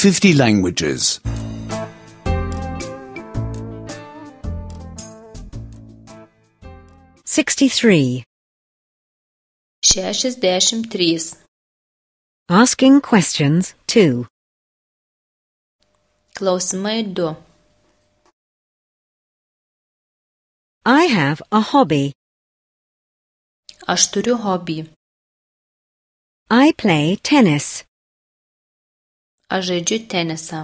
50 languages. 63. 63. Asking questions 2. Klausimai 2. I have a hobby. Aš turiu hobį. I play tennis. Aš žaidžiu tenisą.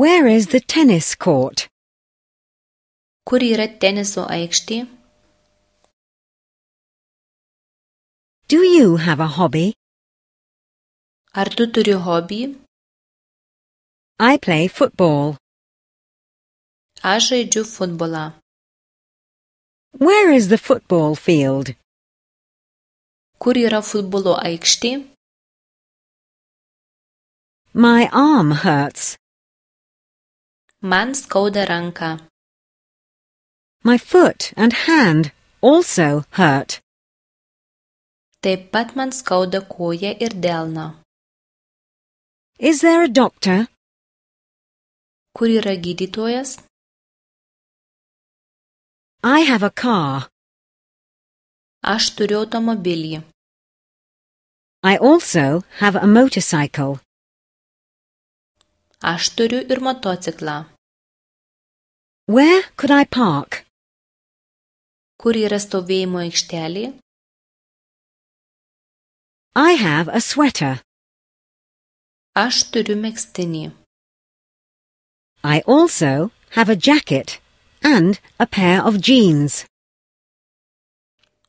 Where is the tennis court? Kur yra teniso aikštė? Do you have a hobby? Ar tu turi hobį? I play football. Aš žaidžiu futbolą. Where is the football field? Kur yra futbolo aikštė? My arm hurts. Man skauda ranką. My foot and hand also hurt. Taip pat man skauda koją ir delną. Is there a doctor? Kur yra gydytojas? I have a car. Aš turiu automobilį. I also have a motorcycle. Aš turiu ir motociklą. Where could I park? Kur yra stovėjimo aikštelė? I have a sweater. Aš turiu megztinį. I also have a jacket and a pair of jeans.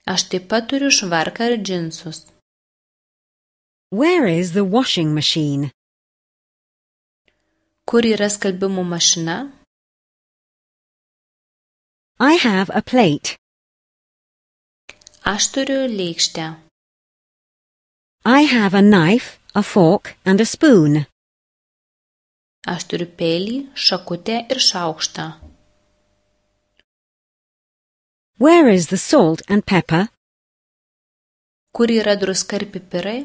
Aš taip pat turiu švarką ir džinsus. Where is the washing machine? Kur yra skalbimo mašina? I have a plate. Aš turiu lėkštę. I have a knife, a fork and a spoon. Aš turiu peilį, šakutę ir šaukštą. Where is the salt and pepper? Kur yra druska ir pipirai?